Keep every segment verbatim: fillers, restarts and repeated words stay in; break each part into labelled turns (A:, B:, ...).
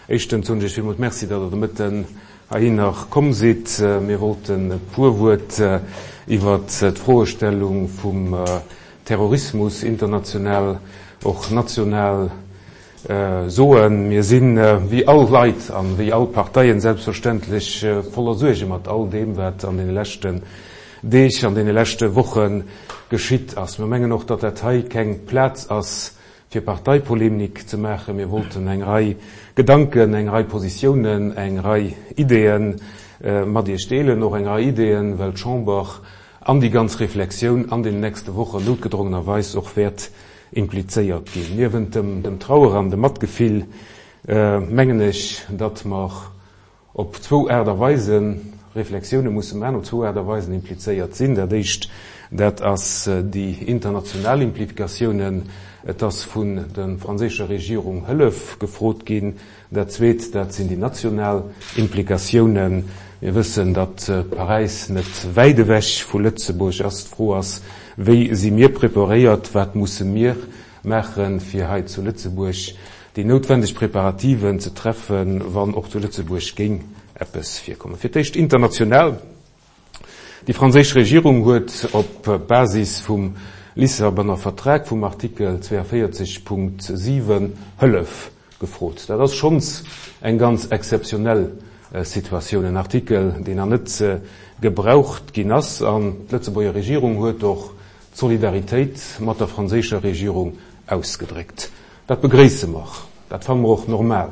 A: Éischtens soen ech Iech villmools Merci, datt Der de Mëtten heihinner komm sidd. Mir wollten e puer Wuert iwwert d'Froestellung vum Terrorismus international, och national soen. Mir sinn, wéi all Leit an wéi all Parteien selbstverständlech, voller Suerge mat all deem, wat an deene leschten Deeg, an deene leschte Woche geschitt ass. Mir mengen och, datt dat hei keng Plaz ass, fir Parteipolemik ze maachen. Mir wollten eng Rei Gedanken, eng Rei Positiounen, eng Rei Ideeë mat Iech deelen, och eng Rei Ideeën, well d'Chamber an déi ganz Reflexioun an den nächste Wochen noutgedrongenerweis och wäert implizéiert ginn. Niewent dem Trauer an dem Matgefill mengen ech, datt mer op zwou Aart a Weise Reflexioune musse maachen, op zwou Aart a Weisen implizéiert sinn. Dat Éischt, dat ass déi international Implikatiounen. Et ass vun der franséischer Regierung Hëllef gefrot ginn. Dat Zweet, dat sinn déi national Implikatiounen. Mir wëssen, datt Paräis net wäit ewech vu Lëtzebuerg ass. D'Fro ass, Wéi si mir preparéiert? Wat musse mir maachen, fir hei zu Lëtzebuerg déi noutwendeg Preparativen ze treffen, wann och zu Lëtzebuerg géing eppes virkommen? Fir d'éischt international. Déi franséisch Regierung huet op Basis vum Lissabonner Vertrag, vum Artikel zweiundvierzig Punkt siwen, Hëllef gefrot. Dat ass schonns eng ganz exzeptionell Situatioun, en Artikel, deen nach net gebraucht ginn ass. An d'Lëtzebuerger Regierung huet och d'Solidaritéit mat der franséischer Regierung ausgedréckt. Dat begréisse mer, dat fanne mer och normal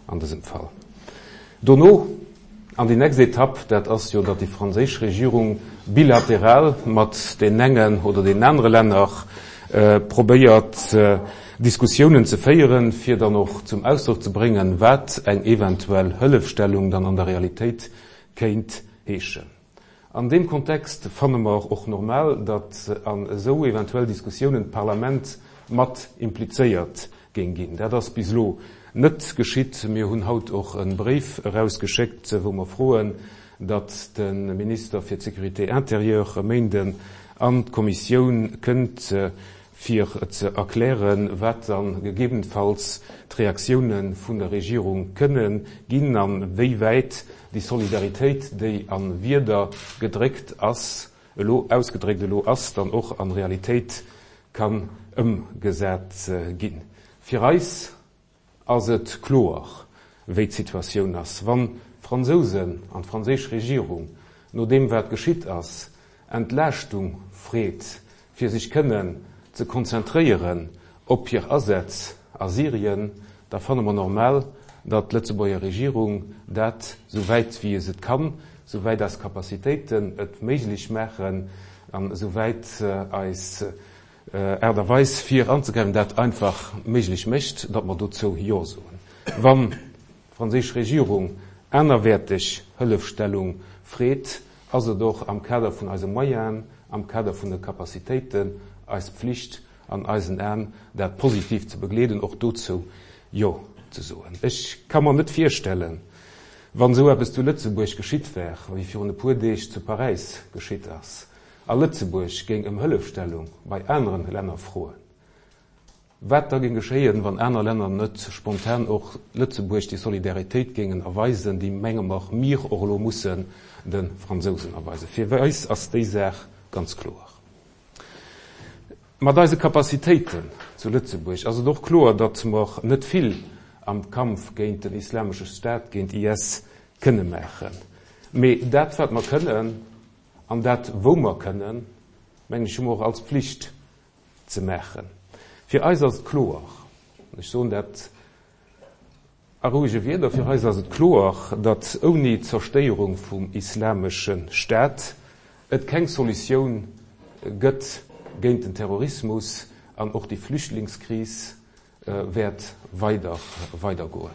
A: an dësem Fall. Dono, an déi nächst Etapp, dat ass jo, datt déi franséisch Regierung bilateral mat deenen engen oder deenen anere Länner probéiert, Diskussiounen ze féieren, fir dann och zum Ausdrock ze bréngen, wat eng eventuell Hëllefstellung dann an der Realitéit kéint heeschen. An deem Kontext fanne mer och normal, datt an esou eventuell Diskussiounen d'Parlament mat implizéiert géing ginn. Dat ass bis elo net geschitt. Mir hunn haut och e Bréif erausgeschéckt, wou mer froen, datt de Minister fir d'Sécurité intérieure e Méinden an d'Kommissioun kënnt, fir ze erklären, wat dann gegebenenfalls d'Reaktioune vun der Regierung kënne ginn an wéi wäit déi Solidaritéit, déi a Wierder gedréckt ass, elo ausgedréckt elo ass, dann och an Realitéit kann ëmgesat ginn. Fir eis ass et kloer, wéi d'Situatioun ass. Wann d'Fransousen an d'franséisch Regierung, no deem wat geschitt ass, Entlaaschtung freet, fir sech kënnen ze konzentréieren op hir Asätz a Syrien, da fanne mer normal, datt d'Lëtzebuerger Regierung dat, sou wäit wéi se et kann, sou wäit eis Capacitéiten et méiglech maachen an sou wäit eis Aart a Weis fir anzegräifen dat einfach méiglech mécht, datt mer dozou Jo soen. Wann d'franséisch Regierung anerwäerteg Hëllefstellung freet, ass et och am Kader vun eise Moyenen, am Kader vun de Capacitéiten eis Pflicht an eisen Aen, dat positiv ze begleeden, och dozou Jo ze soen. Ech ka mer net virstellen, wann esou eppes zu Lëtzebuerg geschitt wär, wéi virun e puer Deeg zu Paräis geschitt ass, a Lëtzebuerg géing ëm Hëllefstellung bei aneren Länner froen, wat da géing geschéien, wann aner Länner net spontan och Lëtzebuerg déi Solidaritéit géingen erweisen, déi, menge mer, mir och elo mussen de Fransousen erweisen. Fir eis ass déi Saach ganz kloer. Mat eise Capacitéiten zu Lëtzebuerg ass et och kloer, datt mer net vill am Kampf géint den Islamesche Staat, géint I S kënne maachen. Mee dat, wat mer kënnen an dat, wou mer kënnen, mengen ech, hu mer och als Pflicht ze maachen. Fir eis ass et kloer, ech soen dat a ruhige Wierder, fir eis ass et kloer, datt ouni Zerstéierung vum Islamesche Staat et keng Solutioun gëtt géint den Terrorismus an och déi Flüchtlingskris wäert weider, weidergoen.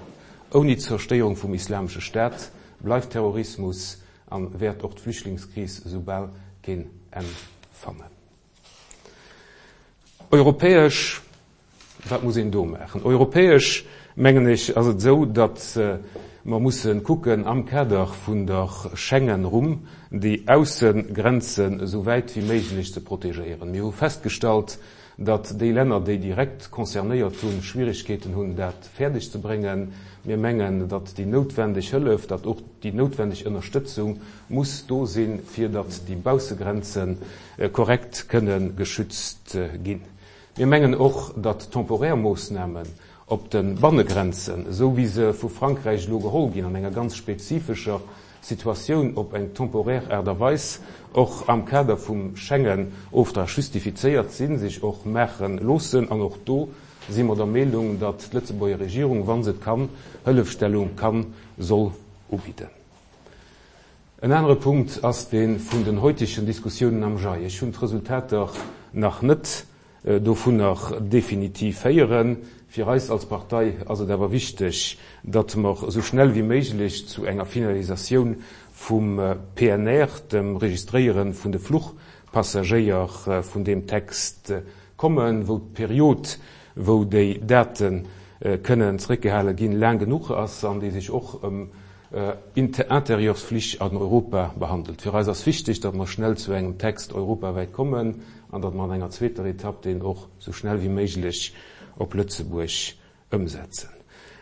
A: Ouni Zerstéierung vum Islamesche Staat bleift Terrorismus an wäert och d'Flüchtlingskris soubal keen Enn fannen. Europäesch, wat muss een do maachen? Europäesch, mengen ech, ass et esou, datt mer mussen kucken am Kader vun der Schengen-Rumm déi Aussengrenzen esou wäit wéi méiglech ze protegéieren. Mir hu festgestallt, datt déi Länner, déi direkt concernéiert hunn, Schwierigkeeten hunn, dat fäerdeg ze bréngen. Mir mengen, datt déi noutwendeg Hëllef, datt och déi noutwendeg Ënnerstëtzung muss do sinn, fir datt déi Baussegrenze korrekt kënne geschützt ginn. Mir mengen och, datt temporär Moossnamen op de Bannegrenzen, esou wéi se vu Frankräich elo geholl ginn, an enger ganz spezifescher Situatioun op eng temporär Aart a Weis och am Kader vum Schengen-Oftrag justifizéiert sinn, sech och maache loossen. An och do si mer der Meenung, datt d'Lëtzebuerger Regierung, wa se et kann, Hëllefstellung kann, soll ubidden. En anere Punkt ass dee vun den heutigen Diskussiounen am G I. Ech hunn d'Resultater nach net dovunner definitiv héieren. Fir eis als Partei ass et awer wichteg, datt mer esou schnell wéi méiglech zu enger Finalisatioun vum P N R, dem Registréieren vun de Fluchpassagéier vun deem Text kommen, wou d'Period, wou déi Daten kënnen zréckgehale ginn, laang genuch ass an déi sech och ëm Interieursflich an Europa behandelt. Fir eis ass wichteg, datt mer schnell zu engem Text europawäit kommen an datt mer an enger zweeter Etapp den och so schnell wie méiglech op Lëtzebuerg ëmsetzen.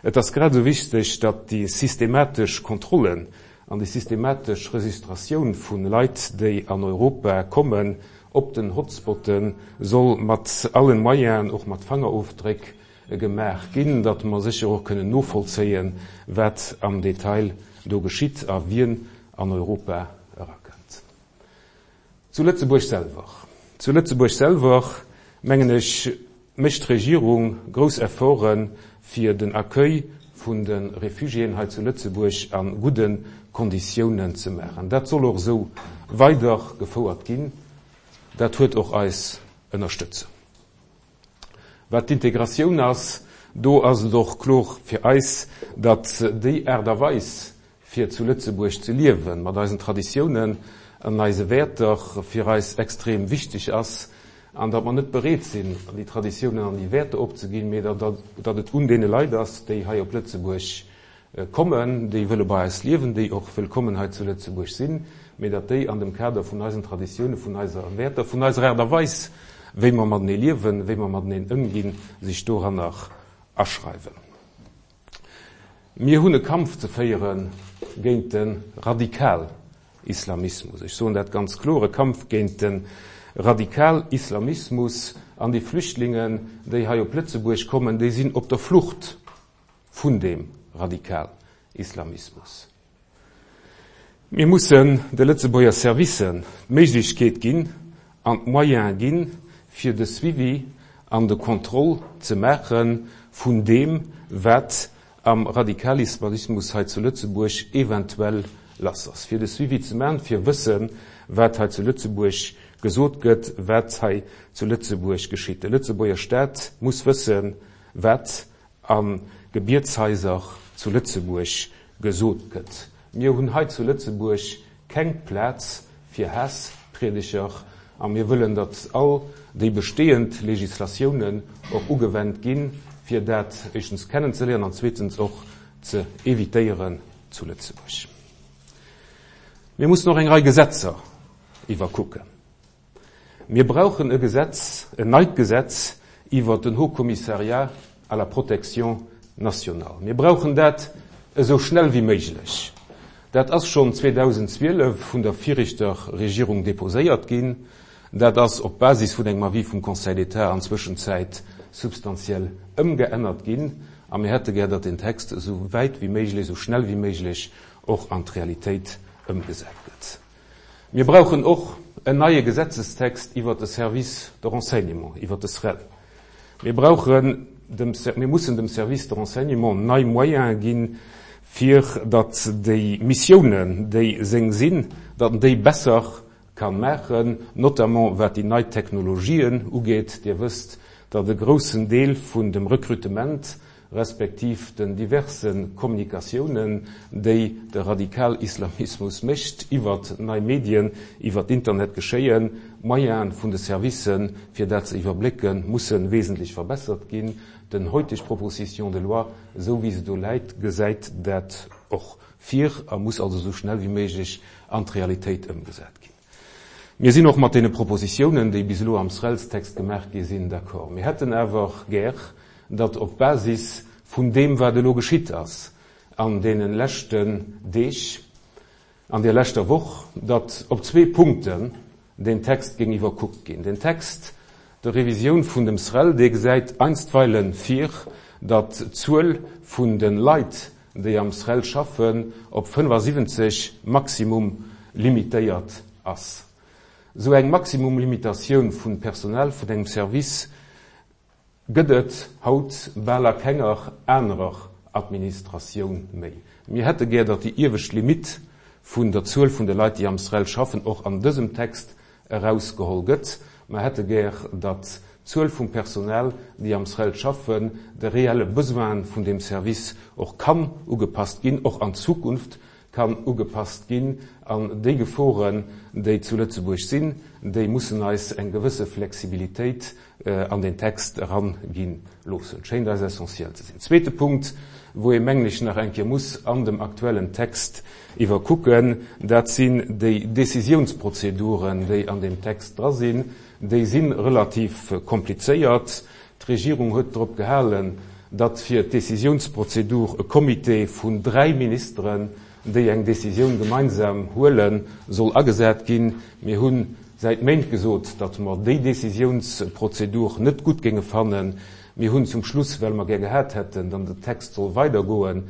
A: Et ass grad so wichteg, datt déi systematesch Kontrollen an déi systematesch Registratioun vun Leit, déi an Europa kommen, op den Hotspotten soll mat allen Moyenen, och mat Fingerofdréck gemaach ginn, datt mer sécher och kënnen novollzéien, wat am Detail do geschitt a wien an Europa erakënnt. Zu Lëtzebuerg selwer. Zu Lëtzebuerg selwer, mengen ech, mécht d'Regierung grouss Efforten fir den Accueil vun de Refugiéen hei zu Lëtzebuerg an gudden Konditiounen ze maachen. Dat soll och esou weider gefouert ginn. Dat huet och eis Ënnerstëtzung. Wat d'Integratioun ass, do ass et och kloer fir eis, datt déi Aart a Weis fir zu Lëtzebuerg ze liewen, mat eisen Traditiounen an eise Wäerter fir eis extrem wichteg ass, an datt mer net bereet sinn, déi Traditiounen an déi Wäerter opzeginn, mee datt, datt, datt et un deene Leit ass, déi hei op Lëtzebuerg kommen, déi wëlle bei eis liewen, déi och wëllkommen hei zu Lëtzebuerg sinn, mee datt déi an dem Kader vun eisen Traditiounen, vun eiser Wäerter, vun eiser Aart a Weis, wéi mer matenee liewen, wéi mer mateneen ëmginn, sech doranner aschreiwen. Mir hunn e Kampf ze féiere géint de Radikalislamismus. Ech soen dat ganz kloer, e Kampf géint de Radikalislamismus an déi Flüchtlingen, déi hei op Lëtzebuerg kommen, déi sinn op der Flucht vun dem Radikalislamismus. Mir mussen de Lëtzebuerger Servicen d'Méiglechkeet ginn an d'Moyen ginn, fir de Suivi an de Contrôle ze maachen vun deem, wat am Radikalislamismus hei zu Lëtzebuerg eventuell lass ass. Fir de Suivi ze maachen, fir wëssen, wat hei zu Lëtzebuerg gesot gëtt, wat hei zu Lëtzebuerg geschitt. De Lëtzebuerger Staat muss wëssen, wat an Gebietshaiser zu Lëtzebuerg gesot gëtt. Mir hunn hei zu Lëtzebuerg keng Plaz fir Hassprediger a mir wëllen, datt all déi bestehend Legislatiounen och ugewennt ginn, fir dat éischtens kennenzeléieren an zweetens och ze evitéieren zu Lëtzebuerg. Mir mussen och eng Rei Gesetzer iwwerkucken. Mir brauchen e Gesetz, en neit Gesetz iwwer den Haut Commissariat à la Protection nationale. Mir brauchen dat esou schnell wie méiglech. Dat ass schon zweitausendzwielef vun der viregter Regierung deposéiert ginn. Dat ass op Basis vun engem Avis vum Conseil d'État an Zwëschenzäit substantiell ëmgeännert ginn. A mir hätte gär, datt den Text esou wäit wie méiglech, esou schnell wie méiglech och an d'Realitéit ëmgesat gëtt. Mir brauchen och en neie Gesetzestext iwwer de Service de Renseignement, iwwer de S R E L. Mir brauchen dem Ser-, mir mussen dem Service de Renseignement nei Moyens ginn, fir datt déi Missiounen, déi seng sinn, datt déi besser kann maachen, notamment wat déi nei Technologien ugeet. Dir wësst, datt e groussen Deel vun dem Rekrutement respektiv den diversen Kommunikatiounen, déi de Radikalislamismus mécht, iwwer nei Medien, iwwer d'Internet geschéien, Moyenen vun de Servicen, fir dat ze iwwerblécken, mussen wesentlech verbessert ginn. Den heutig Proposition de loi, esou wie se do läit, gesäit dat och vir a muss also so schnell wie méiglech an d'Realitéit ëmgesat ginn. Mir sinn och mat deene Propositiounen, déi bis elo am SRELs-Text gemaach gi sinn, d'accord. Mir hätten awer gär, datt op Basis vun deem, wat elo geschitt ass an deene leschten Deeg, an där leschter Woch, datt op zwee Punkten deen Text géing iwwerkuckt ginn. Den Text der Revisioun vun dem SREL, dee gesäit einstweile vir, datt d'Zuel vun de Leit, déi am SREL schaffen, op fënnefasiwwenzeg maximum limitéiert ass. Esou eng Maximumlimitatioun vun Personal vun engem Service gëtt et haut bal a kenger anerer Administratioun méi. Mir hätte gär, datt déi iewescht Limitt vun der Zuel vun de Leit, déi am SREL schaffen, och an dësem Text erausgeholl gëtt. Mer hätte gär, datt d'Zuel vum Personal, déi am SREL schaffen, de reelle Besoine vun deem Service och kann ugepasst ginn, och an Zukunft kann ugepasst ginn. An déi Geforen, déi zu Lëtzebuerg sinn, déi mussen eis eng gewësse Flexibilitéit an deen Text eran gi loossen. Schéint eis essentiell ze sinn. Zweete Punkt, wou ee mengen ech nach eng Kéier muss an dem aktuellen Text iwwerkucken, dat sinn déi Décisiounsprozeduren, déi an deem Text dra sinn. Déi si relativ komplizéiert. D'Regierung huet drop gehalen, datt fir d'Décisiounsprozedur e Comité vun dräi Ministeren, déi eng Décisioun gemeinsam huelen, soll agesat ginn. Mir hu säit Méint gesot, datt mer déi Décisiounsprozedur net gutt géinge fannen. Mir hunn zum Schluss, well mer gär gehat hätten, datt den Text soll weidergoen,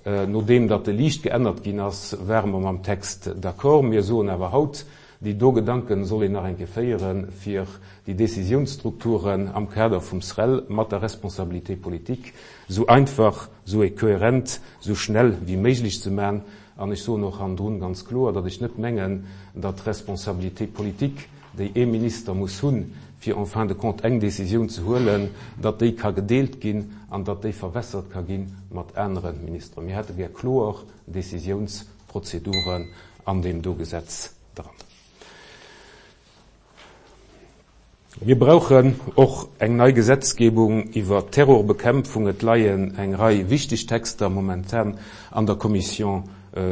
A: nodeem datt e liicht geännert ginn ass, ware mer mam Text d'accord. Mir soen awer haut, déi do Gedanken soll een nach eng Kéier féieren, fir déi Décisiounsstrukturen am Kader vum SREL mat der Responsabilité politique sou einfach, sou kohärent, sou schnell wéi méiglech ze maachen. An ech soen och hannendrun ganz kloer, datt ech net mengen, datt d'Responsabilité politique, déi ee Minister muss hunn, fir en fin de compte eng Décisioun ze huelen, datt déi ka gedeelt ginn an datt déi verwässert ka gi mat anere Ministeren. Mir hätte gär kloer Décisiounsprozeduren an deem do Gesetz dran. Mir brauchen och eng nei Gesetzgebung iwwer Terrorbekämpfung. Et leien eng Rei wichteg Texter momentan an der Commission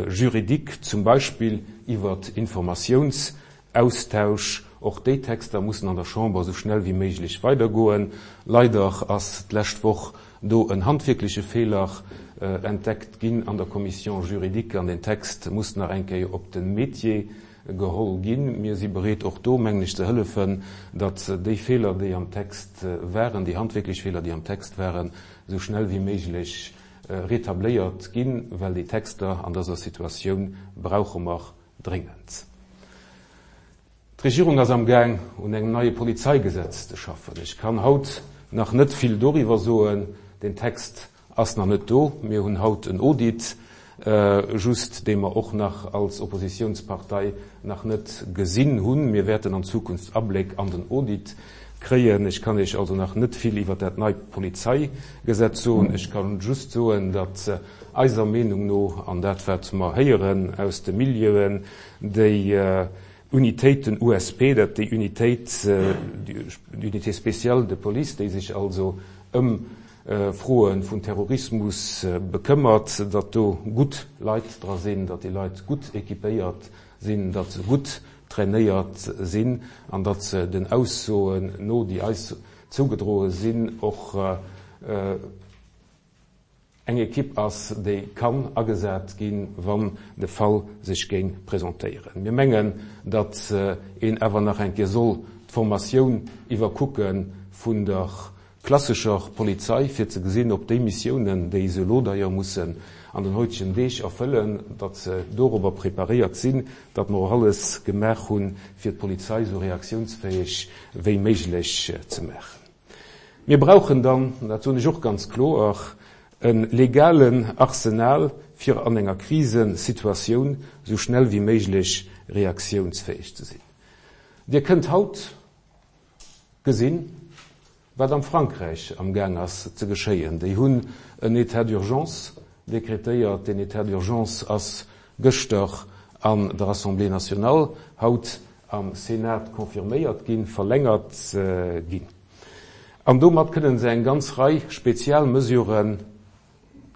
A: juridique, zum Beispill iwwer Informatiounsaustausch. Och déi Texter mussen an der Chamber sou schnell wéi méiglech weidergoen. Leider ass d'lescht Woch do en handwierkleche Feeler entdeckt ginn an der Commission juridique an den Text muss nach eng Kéier op de Métier geholl ginn. Mir si bereet och do, mengen ech, ze hëllefen, datt déi Feeler, déi am Text waren, déi handwierklech Feeler, déi am Text waren, sou schnell wéi méiglech rétabléiert ginn, well déi Texter an dëser Situatioun brauche mer dréngend. D'Regierung ass am Gaang, un engem neie Polizeigesetz ze schaffen. Ech kann haut nach net vill doriwwer soen. Den Text ass nach net do. Mir hunn haut en Audit, just, dee mer och nach als Oppositionspartei nach net gesinn hunn. Mir wäerten an Zukunft Abléck an den Audit kréien. Ech kann Iech also nach net vill iwwer dat neit Polizeigesetz soen. Ech kann just soen, datt eiser Meenung no, an dat wat mer héieren aus de Milieuen, déi Unitéiten U S P, dat déi Unitéit, d'Unité spéciale de police, déi sech also ëm Froen vun Terrorismus bekëmmert, datt do gutt Leit dra sinn, datt déi Leit gutt équipéiert sinn, datt se gutt trainéiert sinn an datt se den Aussoen no, déi eis zougedroe sinn, och eng Equipe ass, déi kann agesat ginn, wann de Fall sech géing presentéieren. Mir mengen, datt een awer nach eng Kéier soll d'Formatioun iwwerkucke vun der klassischer Polizei, fir ze gesinn, ob déi Missiounen, déi se elo d'ailleurs mussen an den heutigen Deeg erfëllen, datt se dorobber preparéiert sinn, datt mer och alles gemaach hunn, fir d'Polizei so reaktionsfähig wéi méiglech ze maachen. Mir brauchen dann, dat soen ech och ganz kloer, en legalen Arsenal, fir an enger Krisensituatioun so schnell wéi méiglech reaktionsfähig ze sinn. Dir kënnt haut gesinn, wat am Frankräich am Gang ass ze geschéien. Déi hunn en État d'urgence dekretéiert. Den État d'urgence ass gëschter an der Assemblée nationale, haut am Senat confirméiert ginn, verlängert ginn. An domat kënnen se eng ganz Rei Spezialmesuren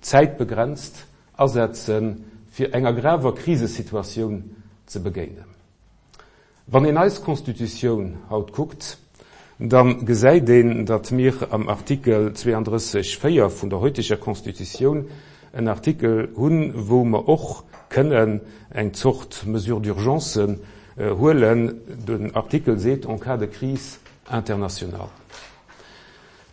A: zäitbegrenzt asetzen, fir enger graver Krisesituatioun ze begéinen. Wann een eis Constitutioun haut kuckt, da gesäit een, datt mir am Artikel zweeandrësseg véier vun der heuteger Constitutioun en Artikel hunn, wou mer och kënnen eng Zort Mesure d'urgence huelen. Den Artikel seet, en cas de crise internationale.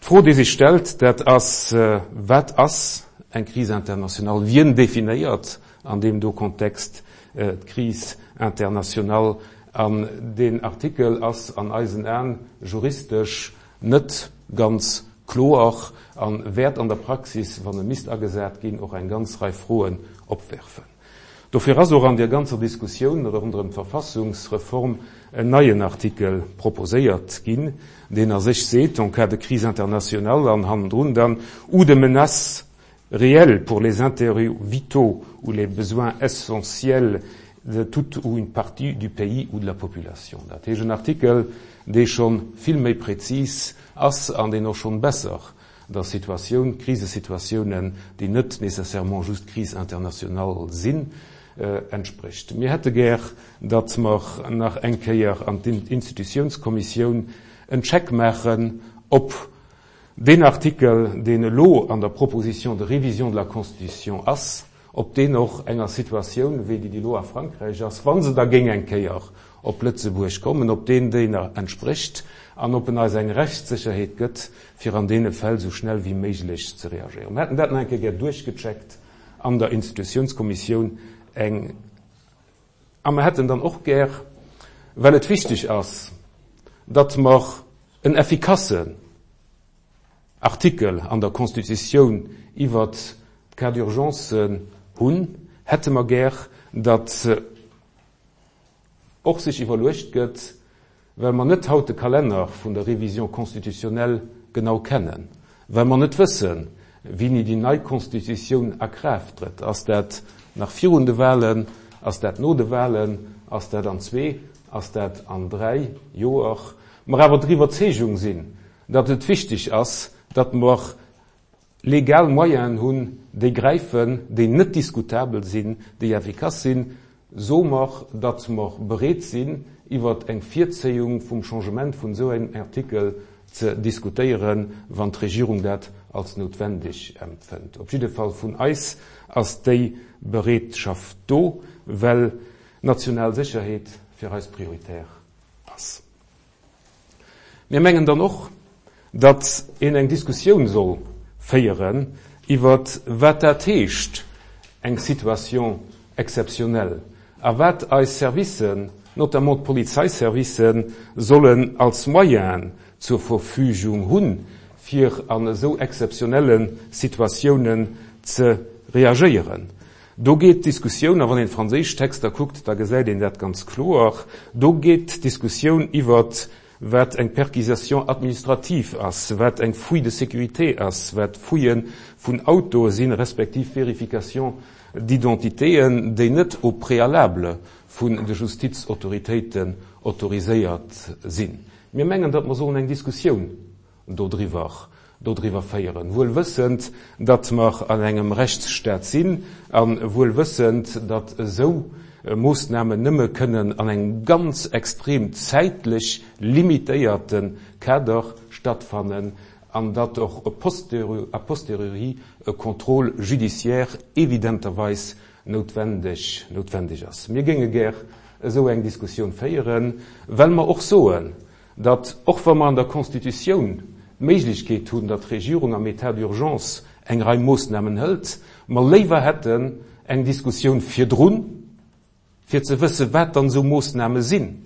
A: D'Fro, déi sech stellt, dat ass, Wat ass eng Crise internationale? Wien definéiert an deem do Kontext d'Crise internationale? An deen Artikel ass an eisen Aen juristesch net ganz kloer a wäert an der Praxis, wann e misst agesat ginn, och eng ganz Rei Froen opwerfen. Dofir ass och an deer ganzer Diskussioun ronderëm d'Verfassungsreform en neien Artikel proposéiert ginn, deen a sech seet, en cas de crise internationale an hannendrun dann ou de menace réelle pour les intérêts vitaux ou les besoins essentiels de toute ou une partie du pays ou de la population. Dat heescht en Artikel, dee scho vill méi prezis ass an deen och schonn besser der Situatioun, Krisesituatiounen, déi net nécessairement just Crise internationale sinn, entsprécht. Mir hätte gär, datt mer nach eng Kéier an d'Institutiounskommissioun en Check maachen, ob deen Artikel, deen elo an der Proposition de révision de la Constitution ass, ob deen och enger Situatioun, wéi déi, déi elo a Frankräich ass, wa se da géing eng Kéier op Lëtzebuerg kommen, ob deen deene entsprécht an ob en eis eng Rechtssécherheet gëtt, fir an deene Fäll esou schnell wéi méiglech ze reagéieren. Mir hätten dat nach eng Kéier gär duerchgecheckt an der Institutiounskommissioun. Eng A mer hätten dann och gär, well et wichteg ass, datt mer en effikassen Artikel an der Constitutioun iwwert d'Cas d'urgence hunn, hätte mer gär, datt och sech iwwerluecht gëtt, well mer net haut de Kalenner vun der Révision constitutionnelle genau kennen, well mer net wëssen, wéini déi nei Constitutioun a Kraaft trëtt, ass dat nach virun de Wahlen, ass dat no de Wahlen, ass dat an zwee, ass dat an dräi Joer, mer awer der Iwwerzeegung sinn, datt et wichteg ass, datt mer legal Moyenen hunn, déi gräifen, déi net diskutabel sinn, déi effikass sinn, soe mer, datt mer bereet sinn, iwwert eng Virzéiung vum Changement vun esou engem Artikel ze diskutéieren, wann d'Regierung dat als noutwendeg empfënnt. Op jidde Fall vun eis ass déi Bereetschaft do, well national Sécherheet fir eis prioritär ass. Mir mengen dann och, datt een eng Diskussioun soll féieren iwwert wat dat heescht, eng Situation exceptionnelle, a wat eis Servicen, notamment d'Polizeiservicen, sollen als Moyenen zur Verfügung hunn, fir an esou exzeptionelle Situatiounen ze reagéieren. Do geet d'Diskussioun, a wann een d'franséisch Texter kuckt, da gesäit een dat ganz kloer, do geet d'Diskussioun iwwert wat eng Perquisition administrative ass, wat eng Fouille de sécurité ass, wat Fouillë vun Autoe sinn, respektiv Vérification d'identitéen, déi net au préalable vun de Justizautoritéiten autoriséiert sinn. Mir mengen, datt mer sollen eng Diskussioun dodriwwer dodriwwer féieren, wuel wëssend, datt mer an engem Rechtsstaat sinn a wuel wëssend, datt esou Moossnamen nëmme kënnen an engem ganz extrem zäitlech limitéierte Kader stattfannen an datt och a posteriori e Contrôle judiciaire evidenterweis noutwendeg noutwendeg ass. Mir géinge gär esou eng Diskussioun féieren, well mer och soen, datt, och wa mer an der Constitutioun d'Méiglechkeet hunn, datt d'Regierung am État d'urgence eng Rei Moossnamen hëlt, mer léiwer hätten eng Diskussioun virdrun, fir ze wëssen, wat dann esou Moossname sinn,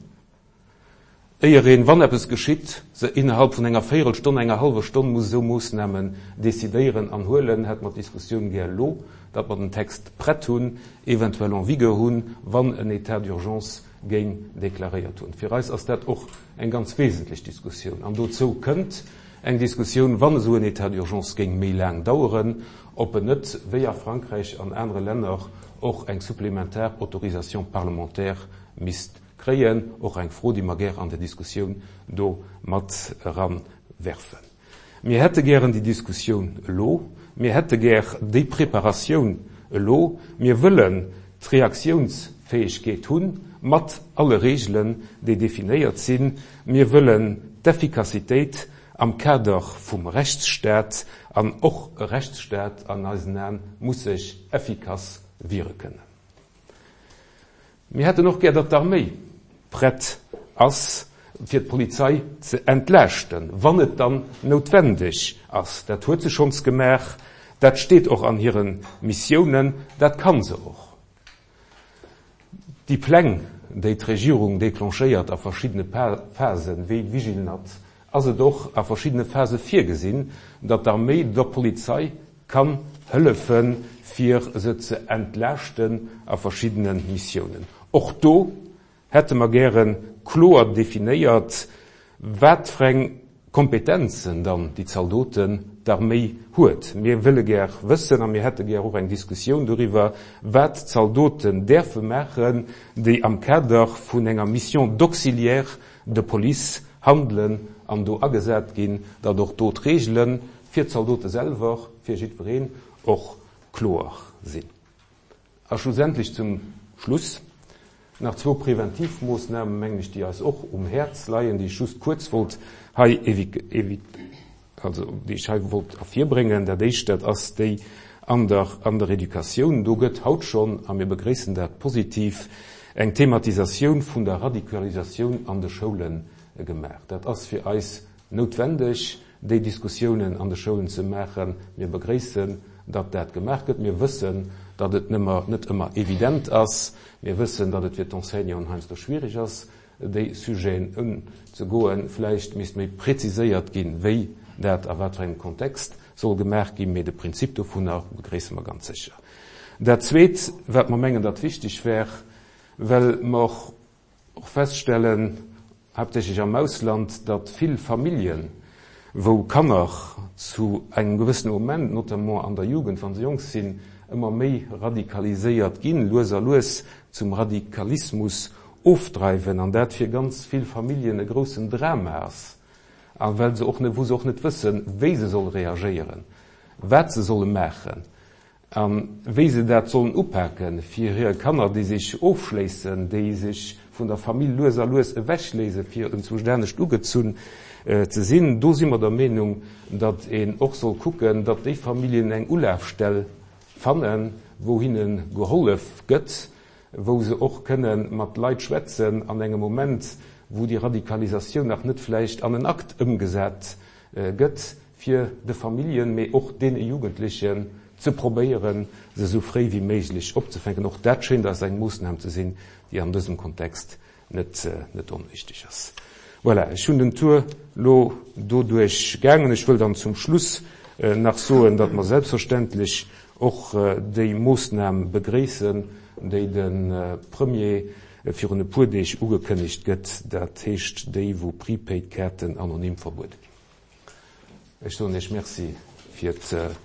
A: éier een, wann eppes geschitt, se innerhalb vun enger Véierelstonn, enger hallwer Stonn muss esou Moossnamen decidéieren an huelen, hätte mer d'Diskussioun gär elo, datt mer den Text prett hunn, eventuell en vigueur hunn, wann en État d'urgence géing deklaréiert hunn. Fir eis ass dat och eng ganz wesentlech Diskussioun. An dozou kënnt eng Diskussioun, wann esou en État d'urgence géing méi laang daueren, ob en net, wéi a Frankräich an anere Länner, och eng supplementar Autorisation parlementaire misst kréien. Och eng Fro, déi mer gär an der Diskussioun do mat eranwerfen. Mir hätte gären déi Diskussioun elo. Mir hätte gär déi Preparatioun elo. Mir wëllen d'Reaktiounsfäegkeet. Reaktiounsfäegkeet hunn, mat alle Reegelen, déi definéiert sinn. Mir wëllen d'Effikassitéit am Kader vum Rechtsstaat, an och e Rechtsstaat an eisen Aen muss sech effikass wiere kënnen. Mir hätten och gär, datt d'Arméi prett ass, fir d'Polizei ze entlaaschten, wann et dann noutwendeg ass. Dat huet se schonns gemaach, dat steet och an hire Missiounen, dat ka se och. Déi Pläng, déi d'Regierung declenchéiert a verschiddene Phasen, wéi Vigilnat, ass et och a verschiddene Phase virgesinn, datt d'Arméi der Polizei kann hëllefen, fir se ze entlaaschten a verschiddene Missiounen. Och do hätte mer gäre kloer definéiert, wat fir eng Kompetenzen dann déi Zaldoten, d'Arméi huet. Mir wëlle gär wëssen a mir hätte gär och eng Diskussioun doriwwer, wat d'Zaldoten däerfe maachen, déi am Kader vun enger Mission d'auxiliaire de police handelen an do agesat ginn, datt och do d'Reegele fir d'Zaldote selwer, fir jiddwereen och kloer sinn. A schlussendlech zum Schluss nach zwou Preventivmoossnamen, mengen ech, déi eis och um Häerz leien, déi ech just kuerz wollt hei also déi ech hei wollt ervirbréngen. Dat Éischt, dat ass déi an der, an der Educatioun. Do gëtt haut schonn, a mir begréissen dat positiv, eng Thematisatioun vun der Radikalisatioun an de Schoule gemaach. Dat ass fir eis noutwendeg, déi Diskussiounen an de Schoulen ze maachen. Mir begréissen, datt dat gemaach gëtt. Mir wëssen, datt et net ëmmer evident ass. Mir wëssen, datt et fir d'Enseignanten heiansdo schwierig ass, déi Sujeten unzegoen. Vläicht misst méi preziséiert ginn, wéi dat a wat fir engem Kontext soll gemaach ginn, mee de Prinzip dovunner begréisse mer ganz sécher. Dat Zweet, wat mer mengen, datt wichteg wär, well mer och feststellen, haaptsächlech am Ausland, datt vill Familljen, wou Kanner zu engem gewëssene Moment, notamment an der Jugend, wa se jonk sinn, ëmmer méi radikaliséiert ginn, lues a lues zum Radikalismus ofdreiwen, an dat fir ganz vill Familljen e groussen Drama ass, a well se och net, wou se och net wëssen, wéi se solle reagéieren, wat se solle maachen a wéi se dat sollen upaken, fir hir Kanner, déi sech ofschléissen, déi sech vun der Famill lues a lues ewechléisen, fir enzwousch anescht ugezunn ze sinn. Do si mer der Meenung, datt een och soll kucken, datt déi Familljen eng Ulafstell fannen, wou hinne gehollef gëtt, wou se och kënne mat Leit schwätzen an engem Moment, wou déi Radikalisatioun nach net vläicht an en Akt ëmgesat gëtt, fir de Familljen, mee och deene Jugendlechen ze probéieren, se esou fréi wéi méiglech opzefänken. Och dat schéint eis eng Moossnam ze sinn, déi an dësem Kontext net, net onwichtig ass. Voilà, ech hunn den Tour elo doduerch gaangen. Ech wëll dann zum Schluss nach soen, datt mer selbstverständlech och déi Moossnam begréissen, déi de Premier virun e puer Deeg ugekënnegt gëtt, dat heescht déi, wou Prepaid-Kaarten anonym verbuede ginn. Ech soen Iech Merci fir d'Nolauschteren.